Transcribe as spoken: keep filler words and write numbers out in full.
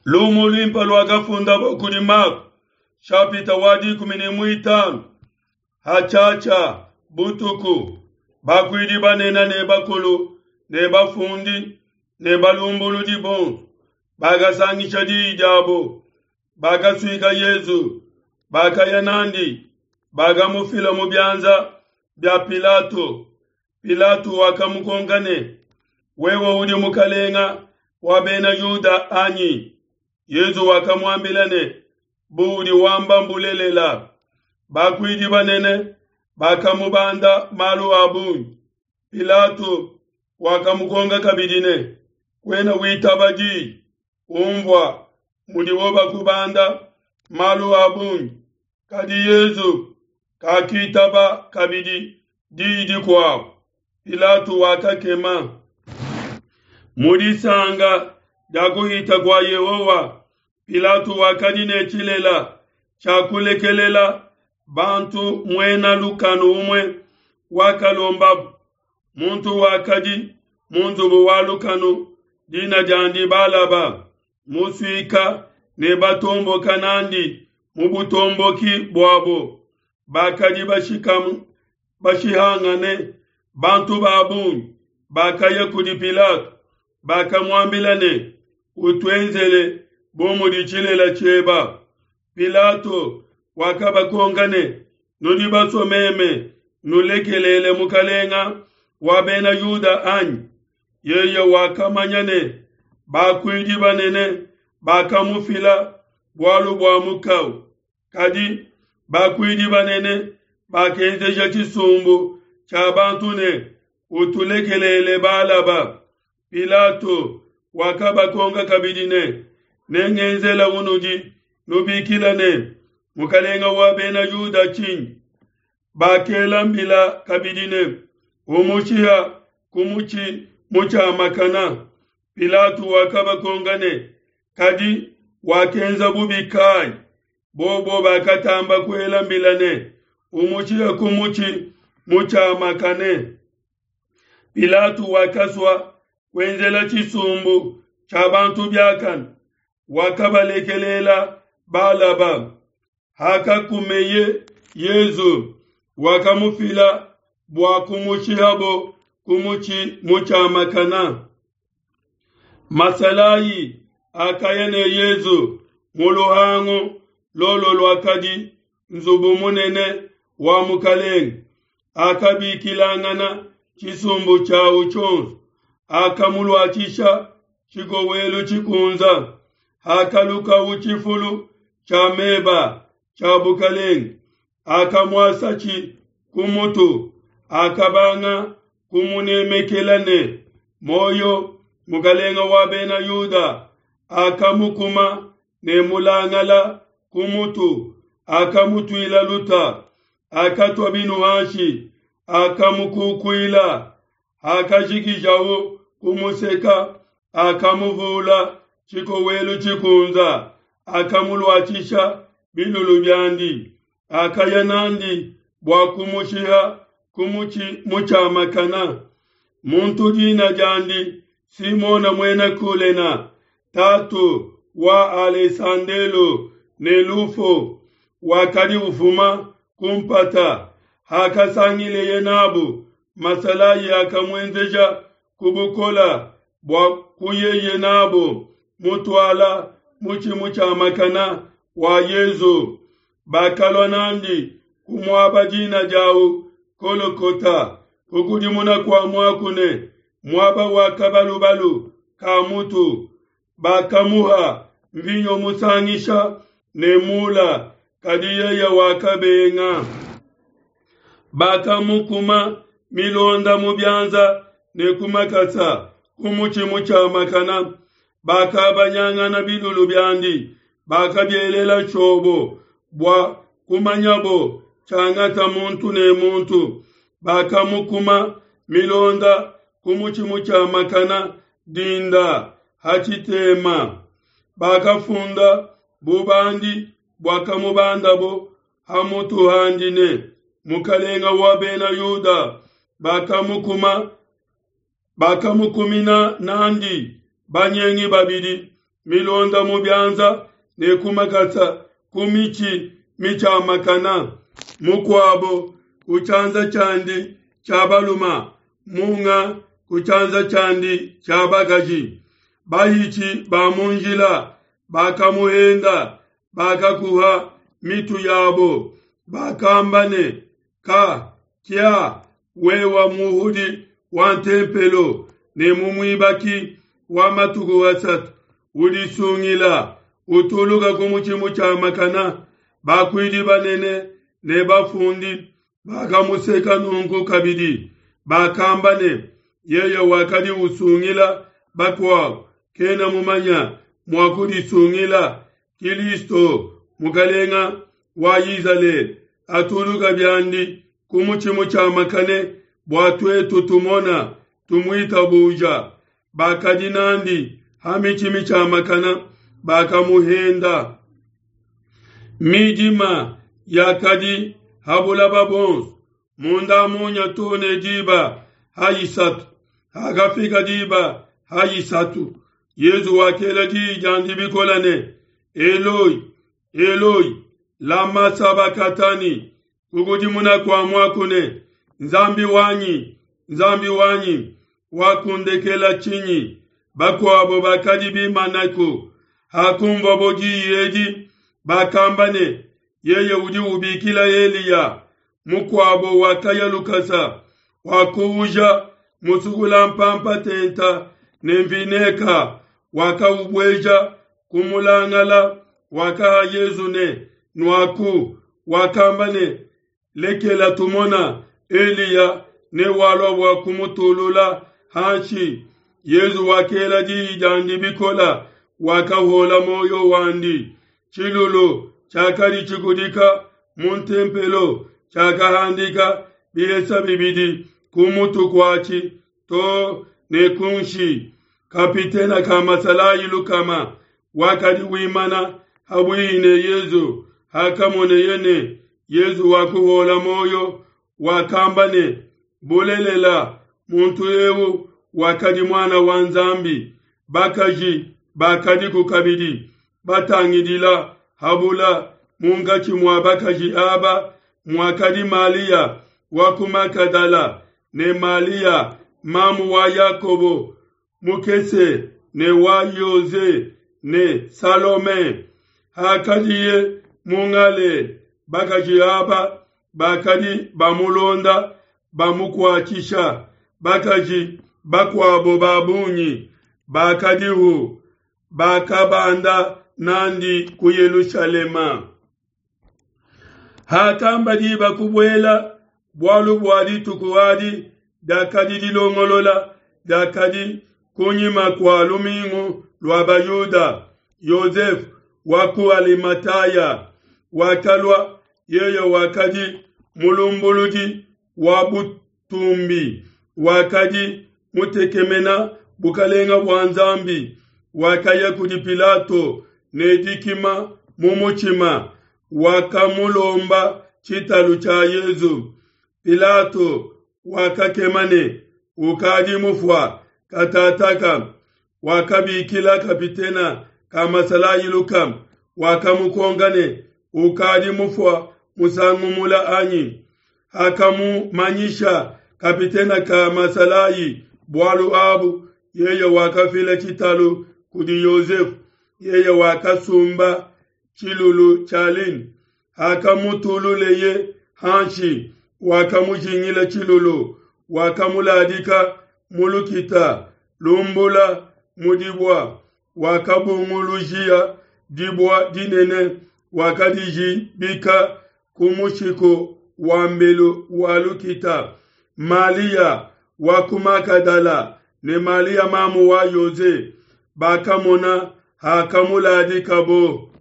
Lumu luimpe luakafundabo kudi Mako, shapita wa dikumi ne muitanu. Hatshiatshia butuku, bakuidi banene ne bakulu ne bafundi ne balumbuludi bonso bakasangisha diyi diabo, bakasuika Yesu, bakaya nandi, bakamufila mu bianza bia Pilato. Pilato wakamukonka ne, wewe udi mukalenga wa bena Yuda anyi? Yesu wakamuambila ne, buudi wamba mbulelela. Bakuidi banene bakamubanda malu a bungi. Pilato wakamukonka kabidi ne, kuena witaba diyi, umvua mudibo bakubanda malu a bungi. Kadi Yesu kakitaba kabidi diyi dikuabu. Pilato wakakema. Mu disanga dia kuhita kua Yehowa, Pilato wakadi ne tshilela tshia kulekelela bantu muena lukanu umue wakalombabo. Muntu wakadi mu nzubu wa lukanu, dina diandi Balaba, musuika ne batomboka nandi mu butomboki buabo, bakadi bashihangane. Bantu ba bungi bakaya kudi Pilato, bakamuambila ne, utuenzele bu mudi tshilela tshieba. Pilato wakabakonka ne, nudi basue meme nulekelele mukalenga wa bena Yuda anyi? Yeye wakamanya ne bakuidi banene bakamufila bualu bua mukau. Kadi bakuidi banene bakenzeja tshisumbu tshia bantu ne, utulekelele Balaba. Pilato wakabakonka kabidi ne, nengenzela unudi nubikila ne, mukalenga wa bena Yuda tshinyi? Bakela mbila kabidi ne, umushiha ku mutshi mutshiamakana. Pilato wakabakonka ne, kadi wakenza bubi kai? Bobo bakatamba kuela mbila ne, umushiha ku mutshi mutshiamakane. Pilato wakasua kuenzela tshisumbu tshia bantu biakane, wakabalekelela Balaba. Hakakumeye Yesu, wakamufila bua kumushihabo ku mutshi mutshiamakana. Masalayi akaya ne Yesu mu luhangu lolo luakadi nzubu munene wa mukalenge, akabikilangana tshisumbu tshiawu tshionso, akamuluatshisha tshikowelu tshikunza, akalukawu tshifulu tshia meba tshia bukalenge, akamuasatshi ku mutu, akabanga kumunemekela ne moyo mukalenga wa bena Yuda, akamukuma ne mulangala ku mutu, akamutuila luta, akatua binu hanshi, akamukukuila, akashikijawu kumuseka, akamuvula tshikowelu tshikunza, akamuluatshisha bilulu biandi, akaya nandi bua kumushiha ku mutshi mutshiamakana. Muntu dina diandi Simona muena Kulena, tatu wa Alesandelo ne Lufo, wakadi ufuma kumpata. Hakasangileye nabu, masalayi akamuenzeja ku bukola bua kuyeye nabo mutuala mutshi mutshiamakana wa Yesu. Bakalua nandi ku muaba dina diawu Kolokota, kukudimuna kua muaku ne, muaba wa kabalubalu ka mutu. Bakamuha mvinyo musangisha ne mula, kadi yeye wakabenga. Bakamukuma milonda mu bianza ne ku makasa ku mutshi mutshiamakana. Bakabanyangana bilulu biandi, bakabielela tshiobo bua kumanyabo tshiangata muntu ne muntu. Bakamukuma milonda ku mutshi mutshiamakana dinda hatshitema. Bakafunda bubandi buakamubandabo ha mutu handi ne, mukalenga wa bena Yuda. Bakamukuma bakamukumina nandi banyengi babidi, milonda mu bianza ne ku makasa ku mitshi mitshiamakana, mukuabo ku tshianza tshiandi tshia baluma, munga ku tshianza tshiandi tshia bakaji. Bahitshi ba mu njila bakamuhenda, bakakuha mitu yabo, bakamba ne, ka kia wewa muhudi wa ntempelo ne mumuibaki wa matuku asatu, udisungila, utuluka ku mutshi mutshiamakana. Bakuidi banene ne bafundi bakamuseka nunku kabidi, bakamba ne, yeye wakadi usungila bakuabo, kena mumanya mua kudisungila. Kilisto mukalenga wa Izalele atuluka biandi ku mutshi mutshiamakane bua tuetu tumona tumuitabuja. Bakadi nandi ha mitshi mitshiamakana bakamuhenda. Midima yakadi ha bulaba bonso munda munya too ne diba ha isatu. Hakafika diba ha isatu, Yezu wakela diyi diandi bikola ne, Eloi, Eloi, lama sabakatani, kukudimuna kua muaku ne, Nzambi wanyi, Nzambi wanyi, wakundekela tshinyi? Bakuabo bakadi bimanaku, hakumvuabo diyi edi, bakamba ne, yeye udi ubikila Eliya. Mukuabo wakaya lukasa, wakuuja musukula mpampa tenta ne mvineka, wakaubueja ku mulangala, wakaha Yezu ne, nuaku. Wakamba ne, lekela tumona Eliya ne walua bua kumutulula hanshi. Yezu wakela diyi diandi bikola, wakahola moyo wandi. Tshilulu tshiakadi tshikudika mu ntempelo tshiakahandika bihesa bibidi ku mutu kuatshi to ne kunshi. Kapitena ka masalayi lukama wakadi wimana habuihi ne Yezu, hakamoneye ne Yezu wakuhola moyo, wakamba ne, bulelela muntu eu wakadi muana wa Nzambi. Bakaji bakadiku kabidi batangidila habula. Munkatshi mua bakaji aba muakadi Malia wa ku Magadala ne Malia mamu wa Yakobo mukese ne wa Yoze ne Salome. Hakadiye mu Ngalela, bakaji aba bakadi bamulonda bamukuatshisha. Bakaji bakuabo ba bungi bakadihu bakabanda nandi ku Yelushalema. Hakamba diba kubuela, bualu bua dituku adi diakadi dilongolola diakadi kunyima kua lumingu lua Bayuda, Yosefe wa ku Alimataya wakalua, yeye wakadi mulumbuludi wa butumbi, wakadi mutekemena bukalenga bua Nzambi, wakaya kudi Pilato ne dikima mu mutshima, wakamulomba tshitalu tshia Yezu. Pilato wakakema ne, ukadi mufua katataka. Wakabikila kapitena ka masalayi lukama, wakamukonka ne, ukadi mufua musangu mula anyi? Hakamumanyisha kapitena ka masalayi bualu abu, yeye wakafila tshitalu kudi Yosefu. Yeye wakasumba tshilulu tshia lin, hakamutululeye hanshi, wakamujingila tshilulu, wakamuladika mu lukita lumbula mu dibua, wakabungulujia dibua dinene, wakadijibika ku mushiku wa mbelu wa lukita. Malia wa ku Magadala ne Malia mamu wa Yoze bakamona hakamuladikabo.